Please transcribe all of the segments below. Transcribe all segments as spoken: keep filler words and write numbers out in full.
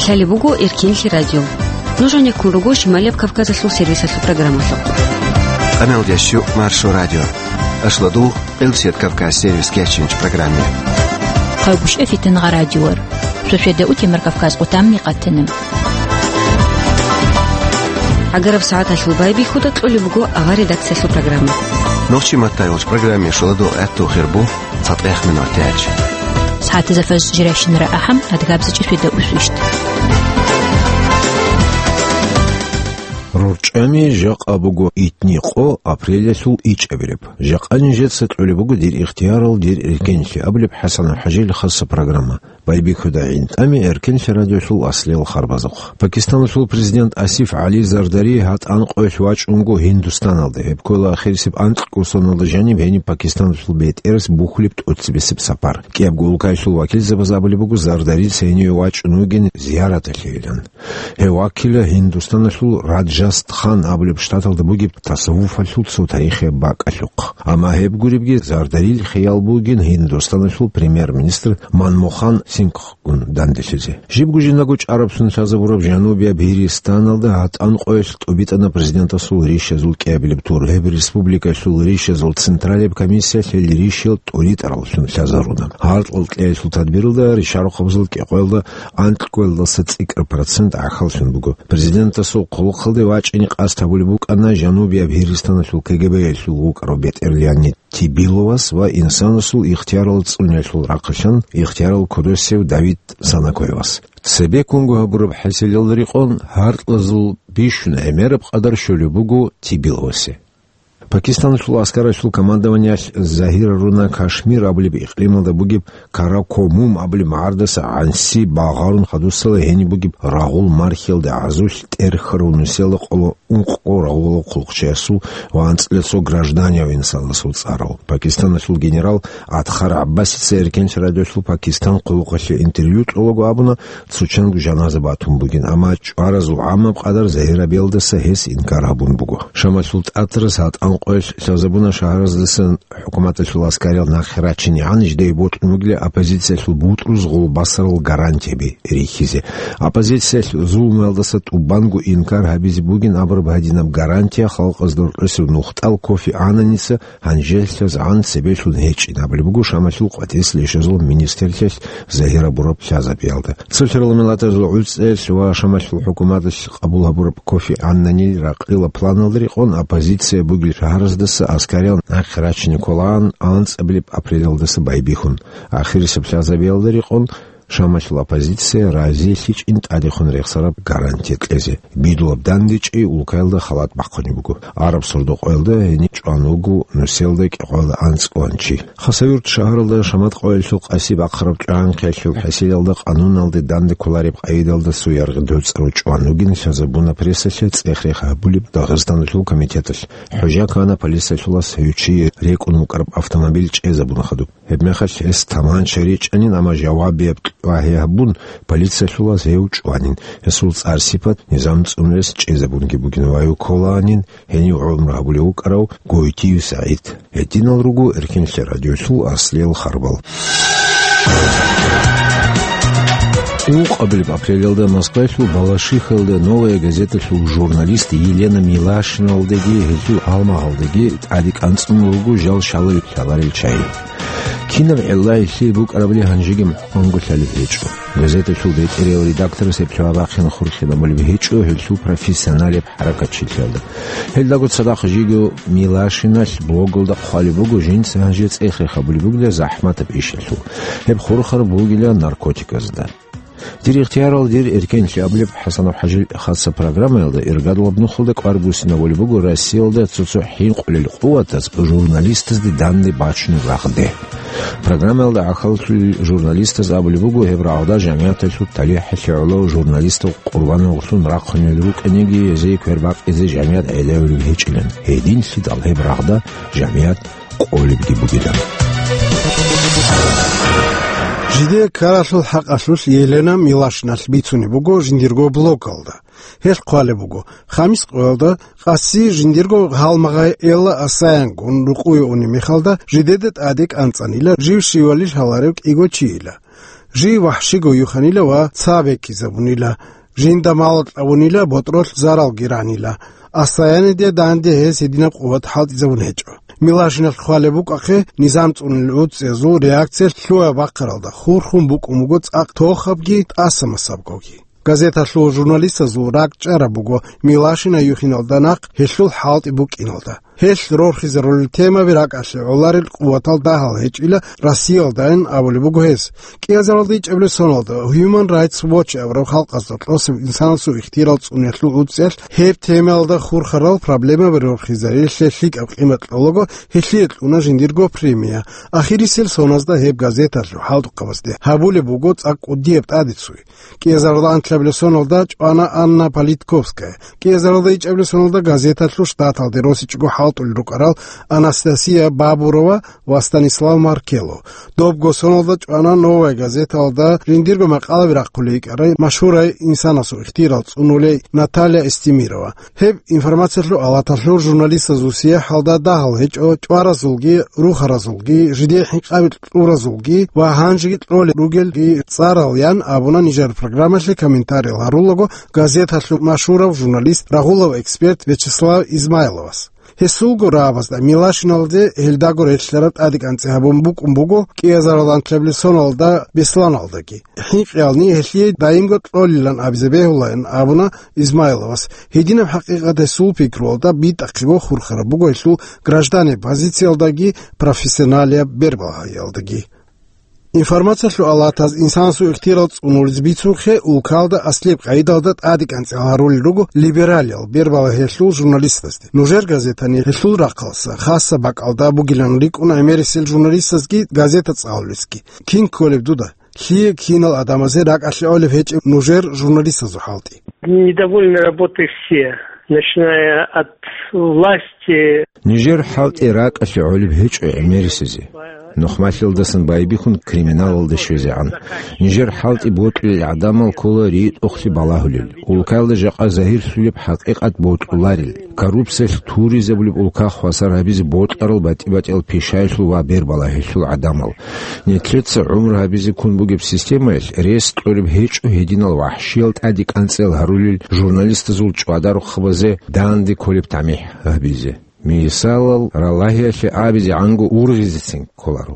Лъалеб буго Эркенлъи радио. Нуж гьанеккун руго Шималияб Кавказалъул сервисалъул программалъухъ. Къаналдящу Маршо радио. Ашладу Къилсият Кавказ сервис кечинч программе. Хъагушев Фитнагъа радиор. Сосведа утемар Кавказ къутамни къатина. ГӀагараб сагӀаталъул байбихьуда кьолеб буго авар редакциялъул программа. Нохчи маттайолч программе шуладу гӀатту хирбу цатӀех минут тяч. СагӀатазда фаз жиращинара ахӀам адгабзачӀи сосведа усвищт. РорчӀами жакъа буго итни къо апрелялъул ичӀабилеб. Жакъа нижеца кьолеб буго дир ихтиярал, дир эркенлъи абулеб ХӀасан ХӀажил хаса программа. Байбихьуда гӀинтӀами Эркенлъи радиолъул аслиял харбазухъ. Пакистаналъул президент Асиф ГӀали Зардари гьатӀан къоялъ вачӀунго Гьиндустаналде. Гьеб ккола ахирисеб анкьго соналда жаниб гьениб Пакистаналъул бетӀерас бухьулеб тӀоцебесеб сапар. КӀиябго улкаялъул вакилзабаз абулеб буго, Зардарица гьениве вачӀун вугин зияраталъейилан. Гьев вакила Гьиндустаналъул Раджастхан абулеб штаталда бугеб тасаввуфалъул цо тарихияб бакӀалъухъ. Амма гьеб гуребги, Зардарил хиял бугин Гьиндустаналъул премьер-министр Манмохан Сингхгун данделъизе. Жибго жиндаго чӀараб сун лъазабураб жанубияб Гьиристаналда гьатӀан къоялъ тӀубитӀана президентасул ришазул кӀиабилеб тур. Гьеб республикалъул ришазул централияб комиссиялъ гьел ришиял тӀуритӀараллъун лъазаруна. Гьаркьал кьеялъул тадбиралда ришарухъабазул кӀикъоялда анкьгоялдаса цӀикӀкӀар процент гӀахьаллъун буго. Президентасул хъулухъалде вачӀине къасд гьабулеб букӀана жанубияб Гьиристаналъул КГБ-ялъул вукӀарав бетӀерлъани Тибиловас ва инсанасул ихтиярал цӀуниялъул рахъалъан ихтиярал кодосев Давид Санакоевас. Цебеккунго гьабураб хӀасилалда рекъон гьаркьазул бищун гӀемераб къадар щолеб буго Тибиловасе. Пакистаналъул аскаралъул командованиялъ загьируна Кашмир абулеб икълималда бугеб Каракумум абулеб магӀардаса гӀанси багъарун хадусала гьениб бугеб рагъул мархиялда гӀазулъ тӀерхьарав нусиялда къоло ункъго рагъулал хъулухъчиясул ва анцӀила цо гражданияв инсанасул цӀарал. Пакистаналъул генерал Адхар ГӀаббасица Эркенлъи радиолъул Пакистан хъулухъалъе интервью кьолаго абуна, цо чанго жаназа батун бугин, амма чӀваразул гӀаммаб къадар загьирабиялдаса гьес инкар гьабун буго. Шамалъул тӀатарас гьатӀан къоялъ лъазабуна шагьараздасан хӀукуматалъул аскариял нахъе рачинегӀан жидее бокьун бугила оппозициялъул бутӀруз гъулбасарал гарантияби рихьизе. Оппозициялъ зулмуялдаса тӀубанго инкар гьабизе бугин абураб гьадинаб гарантия халкъазда рокьосев нухтӀал Кофи ГӀаннаница гьанжелъазгӀан цебелъун гьечӀин абулеб буго Шамалъул къватӀиса лъешазул министрлъиялъ загьирабураб лъазабиялда. Цо лъарал миллатазул гӀуцӀелъ ва Шамалъул хӀукуматалъ къабул гьабураб Кофи ГӀаннанил ракъила планалда рекъон оппозиция бугел шагьараздаса аскариял нахъе рачине кколаан анцӀабилеб апрелалдаса байбихьун. Ахирисеб лъазабиялда рекъон Шамалъул оппозиция разилъичӀин тӀадехун рехсараб гарантия кьезе. Бидулаб дандечӀей улкаялда халат бахъунеб буго. Араб сордо-къоялда гьениб чӀван вуго нусиялда кӀикъоялда анцӀгоан чи. Хасавюрт шагьаралда шамат къоялъул къаси бахъараб чӀванхъиялъул хӀасилалда къануналде данде кколареб къагӀидалда цо яргъи доцӀарав чӀван вугин лъазабуна прессалъе цӀех-рех гьабулеб Дагъистаналъул комитеталъ. ХӀужа ккана полициялъулас гьев чи рекӀун вукӀараб автомобиль чӀезабуна хадуб. Гьебмехалъ гьес таманча ричӀанин, амма жавабияб кьвагьи гьабун, полициялъулас гьев чӀванин. Гьесул цӀар-сипат низам цӀунулес чӀезабунги бугин ва гьев кколаанин гьенив гӀумру гьабулев вукӀарав Гойтиев СагӀид. Гьединал руго Эркенлъи радиолъул аслиял харбал. Ункъабилеб апрелалда Москваялъул Балашихалда «Новая газеталъул» журналист Елена Милашиналдаги гьелъул гьалмагъалдаги тӀаде кӀанцӀун руго жал шалай лъаларел чагӀи. Кинаб гӀилла гьелъие букӀарабали гьанжеги мухӀканго лъалеб гьечӀо. Газеталъул бетӀерияв редакторас гьеб лъугьа-бахъин хурхинабулеб гьечӀо гьелъул профессионалияб хӀаракатчилъиялда. Гьелдаго цадахъ жиго Милашиналъ блогалда хъвалеб буго, жинца гьанже цӀех-рех гьабулеб бугила захӀматаб ишалъул. Гьеб хурхараб бугила наркотиказда. «Дир ихтиярал, дир эркенлъи» абулеб ХӀасанов ХӀажил хаса программаялда иргадулаб нухалда кӀвар буссинабулеб буго Россиялда цо-цо хӀинкъулел къуватаз журналистазде данде бачунеб рагъде. Программаялда гӀахьаллъулел журналистаз абулеб буго, гьеб рагъда жамигӀаталъул талихӀалъе гӀоло журналистал къурбаналлъун рахъунел рукӀаниги, гьезие квербакъизе жамигӀат гӀелавулеб гьечӀилан. Гьединлъидал гьеб рагъда жамигӀат къолебги бугилан. Жидее ккаралъул хӀакъалъулъ Елена Милашиналъ бицунеб буго жиндирго блогалда. Гьелъ хъвалеб буго, хамис къоялда къаси жиндирго гьалмагъай Элла Асаянгун рукъуе унеб мехалда, жидеда тӀаде кӀанцӀанила жив щивали лъаларев кӀиго чийила. Жив вахӀщиго юханила ва ца бекизабунила. Жинда мал кьабунила, ботӀролъ заралги ранила. Ассаяниде данде гьес гьединаб къуват хӀалтӀизабун гьечӀо. Милашиналъ хъвалеб букӀахъе, низам цӀунел гӀуцӀиязул реакциялъ лъугьа-бахъаралда хурхун букӀун буго цӀакъ тохабги тӀаса-масабгоги. Газеталъул журналистазул ракӀчӀараб буго Милашина юхиналда нахъ гьелъул хӀалтӀи букӀиналда. Гьелъ рорхизарулел темаби ракӀалъе гӀоларел къуватал дагьал гьечӀила Россиялдайин абулеб буго гьес. КӀиазаралда ичӀабилеб соналда Human Rights Watch абураб халкъазда тӀосеб инсанасул ихтияр цӀуниялъул гӀуцӀиялъ гьеб темаялда хурхарал проблемаби рорхизарилъе лъикӀаб къимат кьолаго, гьелъие кьуна жиндирго премия. Ахирисел соназда гьеб газеталъул хӀалтӀухъабазде гьабулеб буго цӀакъ кӀудияб тӀадицуй. КӀиазаралда анлъабилеб соналда чӀвана Анна Политковская. КӀиазаралда ичӀабилеб соналда газеталъул штаталде росичӀого хӀалтӀулел рукӀарал Анастасия Бабурова ва Станислав Маркело. Добго соналда чӀвана Новая газеталда жиндирго макъалаби рахъулей йикӀарай машгьурай инсанасул ихтияр цӀунулей Наталья Эстемирова. Гьеб информациялъул алаталъул журналистазул сияхӀалда дагьал гьечӀо чӀваразулги, рухаразулги, жидее хӀинкъаби кьуразулги ва гьанжеги кьолел ругелги цӀарал, ян абуна нижер программалъе комментариял гьарулаго газеталъул машгьурав журналист, рагъулав эксперт Вячеслав Измайловас. Гьесулго рагӀабазда Милашиналде гьелдаго релълъараб тӀадекӀанцӀи гьабун букӀун буго кӀиазаралда анлъабилеб соналда Бесланалдаги. ХӀинкъиялни гьелъие даимго кьолилан абизе бегьулаан абуна Измайловас. Гьединаб хӀакъикъат гьесул пикруялда битӀахъего хурхараб буго гьелъул гражданин позициялдаги профессионалияб бербагьаялдаги. Информациялъул алатаз инсанасул ихтияр цӀунулез бицунхъе, улкалда аслияб къагӀидалда тӀадекӀанцӀи гьарулел руго либералиял бербалагьиялъул журналистазде. Нужер газетани гьелъул рахъалъа хасаб бакӀалда бугилан рикӀкӀуна гӀемерисел журналистазги газета цӀалулесги. Кин кколеб дуда? Лъие кинал гӀадамазе ракӀалъе гӀолеб гьечӀеб нужер журналистазул хӀалтӀи? Недовольны работой все, начиная от власти. Нижер хӀалтӀи ракӀалъе гӀолеб гьечӀо гӀемерисезе. Нухмалъиялдасан байбихьун криминалалде щвезегӀан. Нижер хӀалтӀи бокьулел гӀадамал ккола ритӀухълъи балагьулел. Улкаялда жакъа загьирлъулеб хӀакъикъат бокьуларел. Коррупциялъ туризабулеб улка хвасар гьабизе бокьарал батӀи-батӀиял пишаялъул ва бербалагьиялъул гӀадамал. Нилъеца гӀумру гьабизе ккун бугеб системаялъ рес кьолеб гьечӀо гьединал вахӀщиял тӀадекӀанцӀиял гьарулел журналистазул чӀвадарухъабазе данде кколеб тамихӀ гьабизе. Мисалал, ралагьиялъе абизегӀанго ургъизецин кколаро.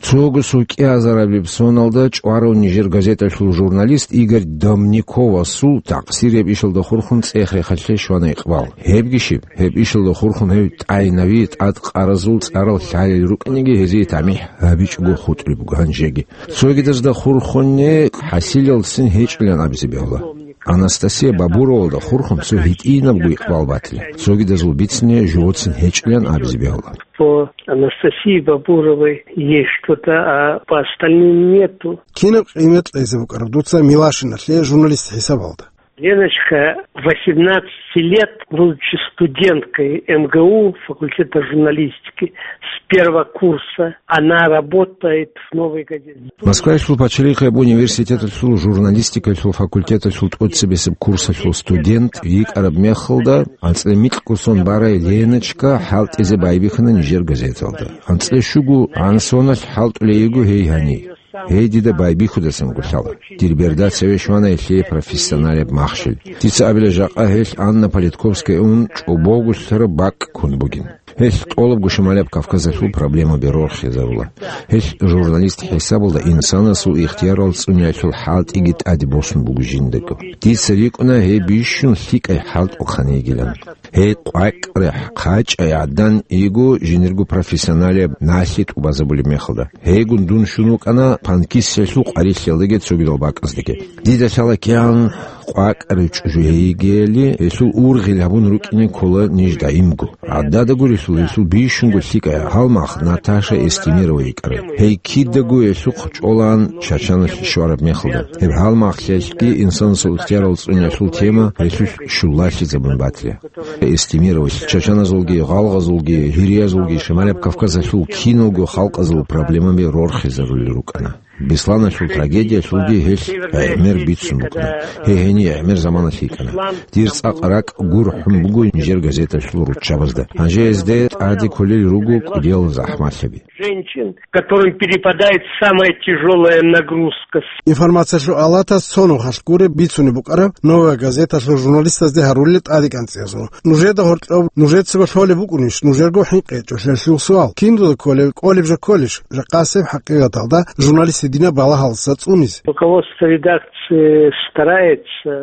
Цого кӀиазарабилеб соналда чӀварав нижер газеталъул журналист Игорь Домниковасул такъсирияб ишалда хурхун цӀех-рехалъе щвана икъбал. Гьебги щиб, гьеб ишалда хурхун гьев тӀайнави тӀадкъаразул цӀарал лъалел рукӀинеги гьезие тамихӀ гьабичӀого хутӀулеб буго гьанжеги. Цогидазда хурхунне хӀасилалцин гьечӀилан абизе бегьула. Анастасия Бабуровалда хурхун цо гьитӀинабго икъбал батила. Цогидазул бицине живоцин гьечӀилан абизе бегьула. По Анастасии Бабуровой есть что-то, а по остальным нету. Кинаб къимат кьезе букӀараб дуца Милашиналъе журналист хӀисабалда? Леночка восемнадцати лет, будучи студенткой МГУ, факультета журналистики, с первого курса, она работает в «Новой газете». Москваялъул пачалихъияб университеталъул журналистикалъул факультеталъул тӀоцебесеб курсалъул студент йикӀараб мехалда, анцӀила микьго сон барай Леночка хӀалтӀизе байбихьана нижер газеталда. АнцӀила щуго гӀан соналъ хӀалтӀулей йиго гьей гьанив. Гьей дида байбихьудасан гулъала. Дир берда цеве щвана гьелъие профессионалияб махщел. Дица абила, жакъа гьелъ Анна Политковская ун чӀобогулъараб бакӀ ккун бугин. Гьелъ тӀолабго Шималияб Кавказалъул проблемаби рорхизарула. Гьелъ журналист хӀисабалда инсанасул ихтиярал цӀуниялъул хӀалтӀиги тӀаде босун буго жиндаго. Дица рикӀкӀуна гьей бищун лъикӀай хӀалтӀухъан йигилан. Гьей къвакӀрехъ хъачӀай гӀадан йиго жинирго профессионалияб налъи тӀубазабулеб мехалда. Гьейгун дун щун вукӀана панкиссиялъул къварилъиялдаги цогидал бакӀаздаги. Дида лъала кигӀан къвакӀарай чӀужу гьей йигели, гьелъул ургъел гьабун рукӀине ккола ниж даимго. ГӀадада гурелъул, гьелъул бищунго лъикӀай гьалмагъ Наташа Эстемирова йикӀарай. Гьей кидаго гьелъухъ чӀолаан Чачаналъ щвараб мехалда. Гьеб гьалмагълъиялъги инсанасул ихтиярал цӀуниялъул тема гьелъулъ щулалъизабун батила. Эстемировалъ чачаназулги, гъалгъазулги, гьириязулги Шималияб Кавказалъул киналго халкъазул проблемаби рорхизарулел рукӀана. Бесланалъул трагедиялъулги гьелъ гӀемер бицун букӀана. Гьей гьенир гӀемер заманалъ йикӀана. Дир цӀакъ ракӀ гурхӀун буго нижер газеталъул руччабазда. Гьанже гьезде тӀаде кколел руго кӀудиял захӀмалъаби. Женщин, которым перепадает самая тяжелая нагрузка. Информациялъул алатас цо нухалъ гуреб бицунеб букӀараб «Новая газеталъул» журналистазде гьарулел тӀадекӀанцӀиязул. Нужеда гьоркьоб нужецаго лъолеб букӀунищ нужерго хӀинкъи гьечӀолъиялъул суал? Киндуда кколеб, кӀолеб жо кколищ? Жакъасеб хӀакъикъаталда журналист гьединаб балагьалдаса цӀунизе. Руководство редакции старается.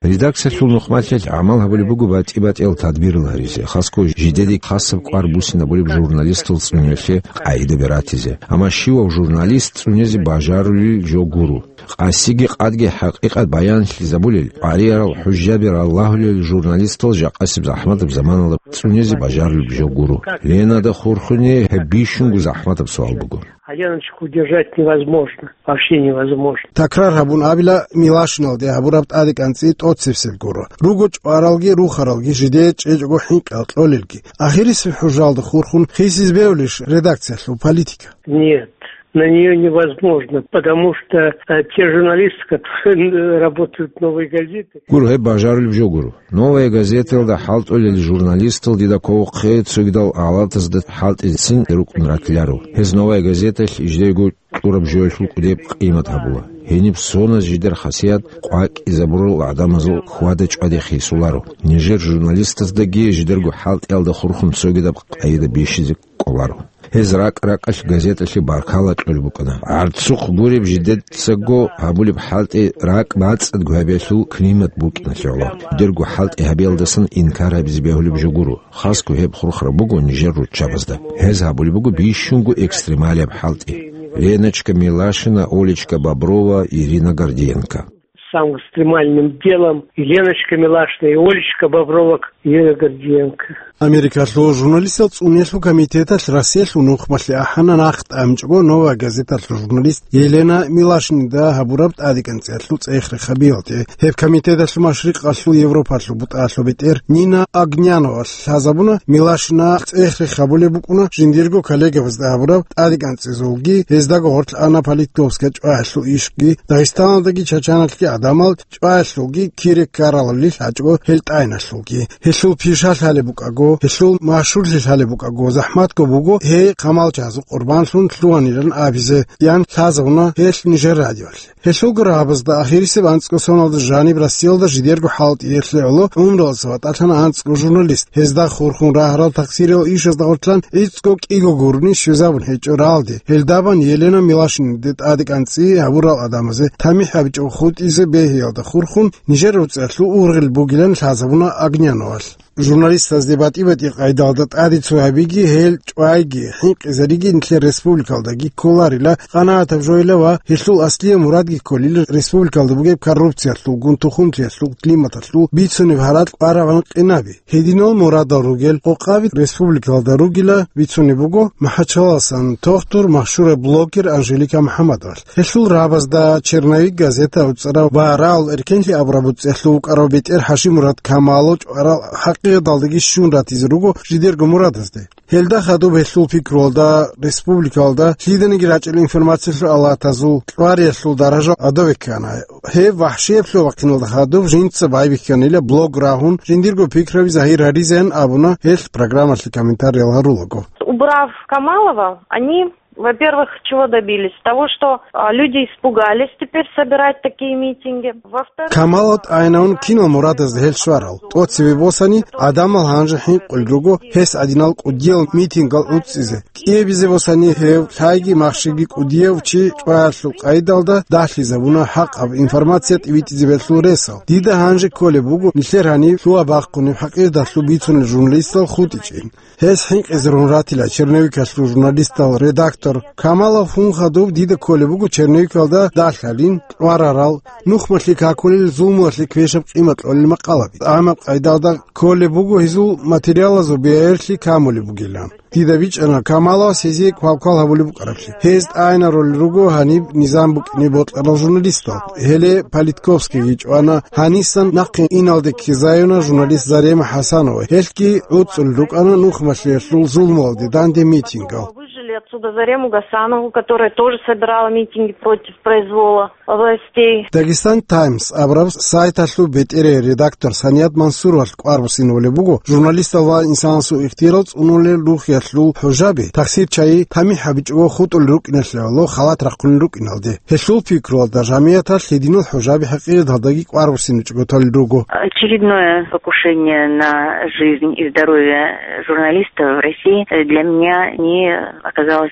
Редакциялъул нухмалъиялъ гӀамал гьабулеб буго батӀи-батӀиял тадбирал гьаризе, хасго жидеде хасаб кӀвар буссинабулеб журналистал цӀунеялъе къагӀидаби ратизе. Амма щивав журналист цӀунезе бажарулел жо гуро. Къасиги къадги хӀакъикъат баянлъизабулел, къваригӀарал хӀужжаби ралагьулел журналистал жакъасеб захӀматаб заманалда цӀунезе бажарулеб жо гуро. Ленада хурхуни гьеб бищунго захӀматаб суал буго. А Леночку удержать невозможно, вообще невозможно. Такрар гьабун абила, Милашиналде гьабураб тӀадекӀанцӀи тӀоцебсеб гуро. Руго чӀваралги рухаралги, жидее чӀечӀого хӀинкъи кьолелги. Ахирисеб хӀужалда хурхун хисиз бегьулищ редакциялъул политика? Нет, на неё невозможно, потому что, э, те журналисты, которые работают в «Новой газете». Гуро, гьеб бажарулеб жо гуро. «Новая газетаялда» хӀалтӀулел журналистал дида кколохъе цогидал гӀалатазда хӀалтӀицин рукӀун ратиларо. Гьез «Новая газеталъ» жидерго кьураб жоялъул кӀудеб къимат гьабула. Гьениб соназ жидер хасият къвакӀизабурал гӀадамазул хьвада-чӀваде хисуларо. Нижер журналистаздаги жидерго хӀалтӀиялда хурхун цогидаб къайда бищизе кӀоларо. Гьез ракӀ-ракӀалъ газеталъе баркала кьолеб букӀана. ГӀарцухъ гуреб, жидецаго гьабулеб хӀалтӀи ракӀ бацӀцӀадго гьабиялъул климат букӀиналъе гӀоло. Жидерго хӀалтӀи гьабиялдасан инкар гьабизе бегьулеб жо гуро. Хасго гьеб хурхараб буго нижер руччабазда. Гьез гьабулеб буго бищунго экстремалияб хӀалтӀи. Леночка Милашина, Олечка Боброва, Ирина Гордиенко. Самым экстремальным делом и Леночка Милашина, и Олечка Боброва, и Ирина Гордиенко. Америкалъул журналистал цӀунелъул комитеталъ Россиялъул нухмалъе ахӀана нахъ тӀамичӀого «Новая газеталъул» журналист Елена Милашинида гьабураб тӀадекӀанцӀиялъул цӀех-рех гьабиялде. Гьеб комитеталъул машрикъалъул Европалъул бутӀалъул бетӀер Нина Огняновалъ лъазабуна, Милашина цӀех-рех гьабулеб букӀуна жиндирго коллегабазда гьабураб тӀадекӀанцӀизулги, гьездаго гъорлъ ана политиковская чӀваялъул ишги, Дагъистаналдаги Чачаналъги гӀадамал чӀваялъулги кире ккаралали лъачӀого гьел тӀайиналъулги. Гьелъул пишалъ гьалеб букӀаго, гьелъул машгьурлъи лъалеб букӀаго, захӀматго буго гьей камалчагӀазул къурбанлъун лъугьанилан абизе, ян лъазабуна гьелъ нижер радиоялъе. Гьелъулго рагӀабазда ахирисеб анцӀго соналда жаниб Россиялда жидерго хӀалтӀиялъе гӀоло гӀумруялдаса ватӀалъана анцӀго журналист. Гьезда хурхун рагьарал тахсириял ишазда гъоркьан гӀицӀго кӀиго гурони щвезабун гьечӀо рагӀалде. Гьелдабан Елена Милашиниде тӀадекӀанцӀи гьабурал гӀадамазе тамихӀ гьабичӀого хутӀизе бегьиялда хурхун нижер реццалъул ургъел бугилан лъазабуна Огняновалъ. Журналистазде батӀи-батӀи къайдалда тӀаде цо гьабиги, гьел чӀвайги, хӀинкъизариги нилъер республикалдаги кколарила къанагӀатаб жойила ва гьелъул аслияб мурадги кколила республикалда бугеб коррупциялъулгун, тухумлъиялъул, климаталъул бицунеб гьаракь къварагӀан къинаби. Гьединал мурадал ругел къокъаби республикалда ругила бицунеб буго МахӀачаласан тохтур, машгьураб блогер Анжелика МухӀаммадовалъ. Гьелъул рагӀабазда «Черновик» газета уцӀарав ва «Рагьул эркенлъи» абураб уцӀиялъул вукӀарав бетӀер ХӀажимурад Камалов чӀварал хӀакъикъаталдаги щун ратизе руго жидерго мурадазде. Гьелда хадуб гьелъул пикруялда республикалда лъиданиги рачӀел информациялъул алатазул кьвариялъул даража гӀодове ккана. Гьеб вахӀшияб лъугьа-бахъиналда хадуб жинца байбихьанила блог рагьун, жиндирго пикраби загьир гьаризеян абуна гьелъ программалъе комментариял гьарулаго. Убрав Камалова, они, во-первых, чего добились? Того, что, а, люди испугались теперь собирать такие митинги. Во-вторых, Камалов тӀайинавун кинал мурадазда гьел щварал? ТӀоцебе босани, гӀадамал гьанже хӀинкъулел руго гьес гӀадинал кӀудиял митингал уцӀцӀизе. КӀиабизе босани гьев лъайги махщиги кӀудияв чи чӀваялъул къайдалда дагьлъизабуна хӀакъаб информация тӀибитӀизе бегьулел ресал. Дида гьанже кколеб буго нилъер гьаниб лъугьа-бахъунеб хӀакъикъаталъул бицунел журналистал хутӀичӀин. Гьес хӀинкъизарун ратила черновикалъул журналистал редактор Камалов. Гьун хадуб дида кколеб буго черновикалда дагьлъалин, кьварарал, нухмалъе какулел зулмуялъе квешаб къимат кьолел макъалаби. ТӀамаб къайдалда кколеб буго гьезул материалазул бегӀерлъи камулеб бугилан. Дида бичӀчӀана Камаловас гьезие квалквал гьабулеб букӀараблъи. Гьез тӀайинарулел руго гьаниб низам букӀине бокьарал журналистал. Гьеле Политковскийги чӀвана, гьанисан нахъе иналде ккезаюна журналист Зарема ХӀасанова. Гьелъги гӀуцӀулел рукӀана нухмалъиялъул зулмуялде данде митингал. Отсюда Зарему Гасанову, которая тоже собирала митинги против произвола властей. Дагестан Таймс абураб сайталъул бетӀерей редактор Саният Мансуровалъ кӀвар буссинабулеб буго, журналистал ва инсанасул ихтияр цӀунулел рухӀиялъул хӀужаби, тахсир чагӀи тамихӀ гьабичӀого хутӀулел рукӀиналъе гӀоло халат рахъунел рукӀиналде. Гьелъул пикруялда, жамигӀаталъ гьединал хӀужаби хӀакъикъаталдаги кӀвар буссинабичӀого толел руго. Очередное покушение на жизнь и здоровье журналистов в России для меня не оказалось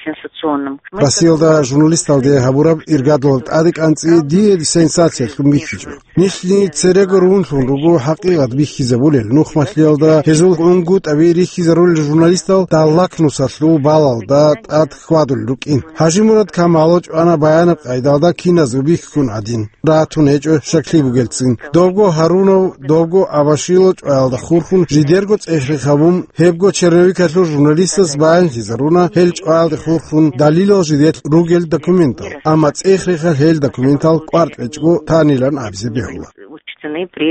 сенсационным. Россиялда журналисталде гьабураб иргадал тӀаде кӀанцӀи дие сенсациялъун бихьичӀо. Нилъни церего рунлъун руго хӀакъикъат бихьизабулел. Нухмалъиялда гьезул унгутӀаби рихьизарулел журналистал даллакнусалъул балалда тӀад хьвадулел рукӀин. ХӀажимурад Камалов чӀвана баянаб къайдалда киназго бихьун гӀадин. Ратун гьечӀо щаклъи бугелцин. Добго Гьарунов, добго Абашило чӀваялда хурхун жидерго цӀех-рех гьабун, гьебго черновикалъул журналистас баянлъизаруна гьел чӀваялде хурхун далилал жидер ругел документал. Амма цӀех-рехалъ гьел документал кӀвар тӀечӀого танилан абизе бегьула. Учтены при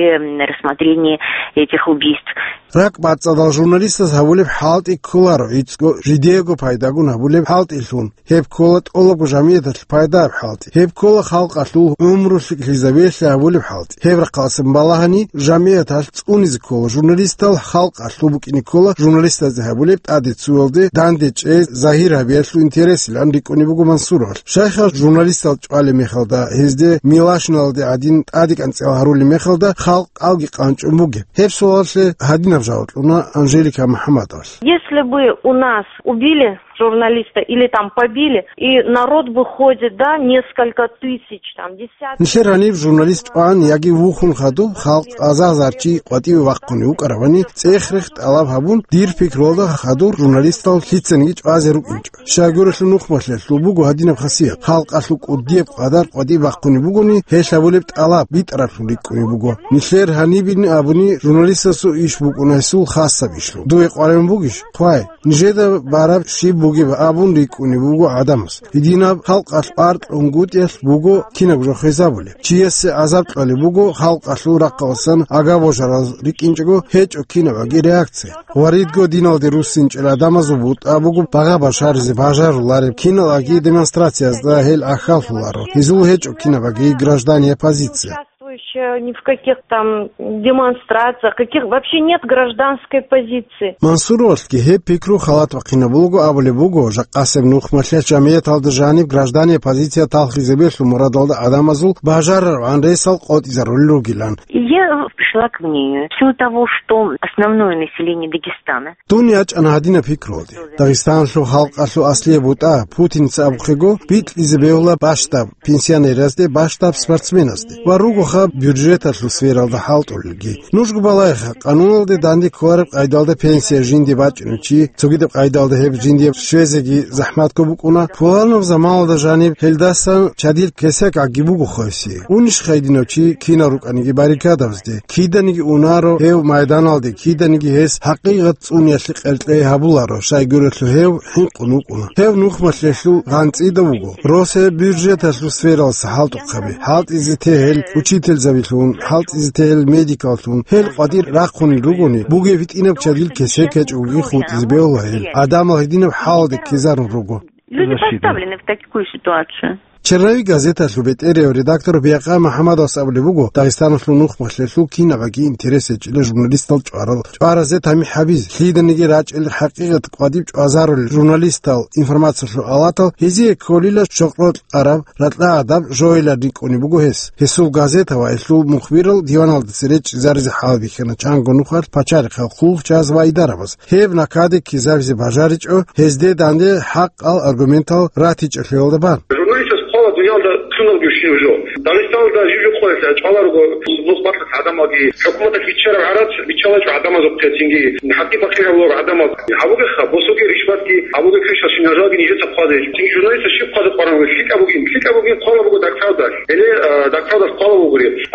рассмотрении этих убийств. РакӀбацӀцӀадал журналистас гьабулеб хӀалтӀи кколаро гӀицӀго, жидеего пайдагун гьабулеб хӀалтӀилъун. Гьеб ккола тӀолабго жамигӀаталъе пайдаяб хӀалтӀи. Гьеб ккола халкъалъул гӀумру лъикӀлъизабиялъе гьабулеб хӀалтӀи. Гьеб рахъалъан балагьани, жамигӀаталъ цӀунизе ккола журналистал, халкъалъул букӀине ккола журналистазде гьабулеб тӀаде цуялде данде чӀей, загьир гьабиялъул интересилан рикӀкӀунеб буго Мансуровалъ. Щайха журналистал чӀвалеб мехалда, гьезде милашналде гӀадин тӀаде кӀанцӀал гьарулеб мехалда, халкъ кӀалги къанчӀун бугеб? Гьеб суалалъе гьадинаб жаваб кьуна Анжелика МухӀаммадовалъ. Если бы у нас убили журналиста или там побили, и народ выходит, да, несколько тысяч, там, десятки. Нилъер гьаниб журналист чӀван яги вухун хадуб халкъ азар-азар чи къватӀиве вахъунев вукӀаравани, цӀех-рех тӀалаб гьабун, дир пикруялда хадур журналистал лъицаниги чӀвазе рукӀинчӀо. Щайгурелъул нухмалъиялъул буго гьадинаб хасият. Халкъалъул кӀудияб къадар къватӀибе бахъунеб бугони, гьел гьабулеб тӀалаб битӀараблъун рикӀкӀунеб буго. Нилъер гьанибин абуни, журналистасул иш букӀуна гьесул хасаб ишлъун. Дуе къваригӀун бугищ? Хъвай, нижеда бараб щиб бугеб абун рикӀкӀунеб буго гӀадамас. Гьединаб халкъалъ аркьунгутӀиялъ буго кинабго жо хвезабулеб. Чиясе гӀазаб кьолеб буго халкъалъул рахъалъан агабожараз рикӀкӀинчӀого, гьечӀо кинабаги реакция. Гъваридго диналде руссинчӀел гӀадамазул бутӀа буго багъа башаризе бажарулареб киналги демонстрациязда гьел гӀахьаллъуларо. Гьезул гьечӀо кинабаги граждане оппозиция. Участвующие ни в каких там демонстрациях, каких вообще нет гражданской позиции. Мансуровалъги гьеб пикру халат бахъинабулго абулеб буго, жакъасеб нухмалъиялъ жамигӀаталда жаниб граждане оппозиция талхизе бегьлъу мурадалда гӀадамазул бажарарабгӀан ресал къотӀизарулел ругилан. И я пришла к мнению, в силу того, что основное население Дагестана. Дун ячӀана гьадинаб пикруялде. Дагъистаналъул халкъалъул аслияб бутӀа, путиница абухъего, бикьизе бегьула бащдаб пенсионеразде, бащдаб спортсменазде ва ругоха бюджеталъул сфералда хӀалтӀулелги. Нужго балагьеха, къануналде данде кколареб къайдалда пенсия жинде бачӀунев чи, цогидаб къайдалда гьеб жинде щвезеги захӀматго букӀуна, пуланаб заманалда жаниб гьелдасан чадил кесек гӀаги буго хвеси. Унищха гьединав чи кинав рукӀаниги баррикадабазде? Киданиги унаро гьев майданалде, киданиги гьес хӀакъикъат цӀуниялъе къеркьей гьабуларо, щайгурелъул гьев хӀинкъун вукӀуна. Гьев нухмалъиялъул гъанцӀида вуго. Росаб бюджеталъул сфералъа хӀалтӀухъаби, хӀалтӀизе тегьел учительзабилъун, хӀалтӀизе тегьел медикаллъун, гьел къватӀир рахъунел ругони, бугеб гьитӀинаб чадил кесек гьечӀоги хутӀизе бегьула гьел. ГӀадамал гьединаб хӀалалде ккезарун руго. Люди поставлены в такую ситуацию. Черновик газеталъул бетӀерияв редактор Биякъа МухӀаммадовас абулеб буго, Дагъистаналъул нухмалъиялъул кинабаги интерес гьечӀила журналистал чӀварал, чӀваразе тамихӀ гьабизе, лъиданиги рачӀел хӀакъикъат къватӀиб чӀвазарулел журналистал, информациялъул алатал, гьезие кколила щокълъараб, ракьа гӀадаб жоялъ рикӀкӀунеб буго гьес. Гьесул газета ва гьелъул мухбирал диваналдаса речӀчӀизаризе хӀалбихьана чанго нухалъ пачарихъал хъулухъчияз ва идарабаз. Гьеб накаде ккезабизе бажаричӀо, гьезде данде хӀакъал аргументал ратичӀелъиялда бан. Журналистас хъвала дуниялда лъуналги щив жо. Дагъистаналда жив-жив къоялъ чӀвала руго нухмалъиялъ гӀадамалги, хӀукуматалъ биччараб гӀарац биччалачӀо гӀадамазухъе, цинги хӀакъи-бакъи гьабуларо гӀадамал. Гьабуге ха, босуге ришватги, гьабуге квешалъ нажалги нижеца хъвазе. Цинги журналистас щиб хъвазе къваран вугев? ЛъикӀаб бугин, лъикӀаб бугин хъвала буго Дагправдалъ. Гьеле,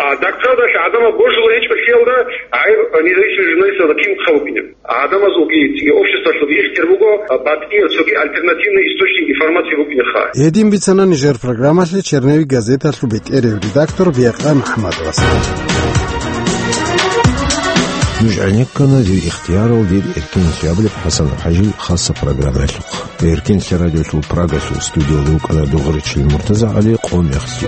а, Дагправдалъ гӀадамал божуларичӀолъиялда гӀайиб независимый журналистазда кин хъа букӀинеб? ГӀадамазулги цинги обществалъулги ихтияр буго, а, батӀияб цоги альтернативный источник информации букӀинеха. Гьедин бицана нижер программалъе Черновик газеталъул бетӀерев редактор Биякъа МухӀаммадовас. Нуж гӀенеккана дир ихтиярал, дир эркинлъи абулеб ХӀасан ХӀажил хасса программаялъухъ. Эркинлъи радиолъул Прагалъул студиялда вукӀана Дугъричил МуртазагӀали, къо мехлъи.